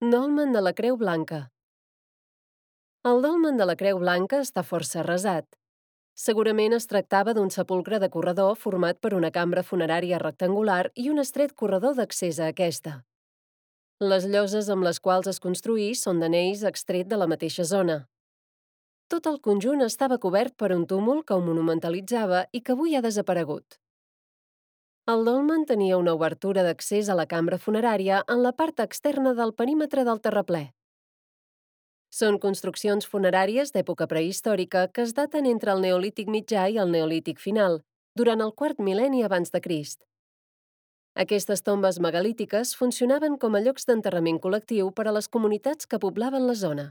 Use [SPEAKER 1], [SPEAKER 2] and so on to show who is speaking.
[SPEAKER 1] Dolmen de la Creu Blanca. El dolmen de la Creu Blanca està força arrasat. Segurament es tractava d'un sepulcre de corredor format per una cambra funerària rectangular i un estret corredor d'accés a aquesta. Les lloses amb les quals es construí són d'anells extret de la mateixa zona. Tot el conjunt estava cobert per un túmul que ho monumentalitzava i que avui ha desaparegut. El dolmen tenia una obertura d'accés a la cambra funerària en la part externa del perímetre del terraplè. Són construccions funeràries d'època prehistòrica que es daten entre el Neolític mitjà i el Neolític final, durant el quart mil·lenni abans de Crist. Aquestes tombes megalítiques funcionaven com a llocs d'enterrament col·lectiu per a les comunitats que poblaven la zona.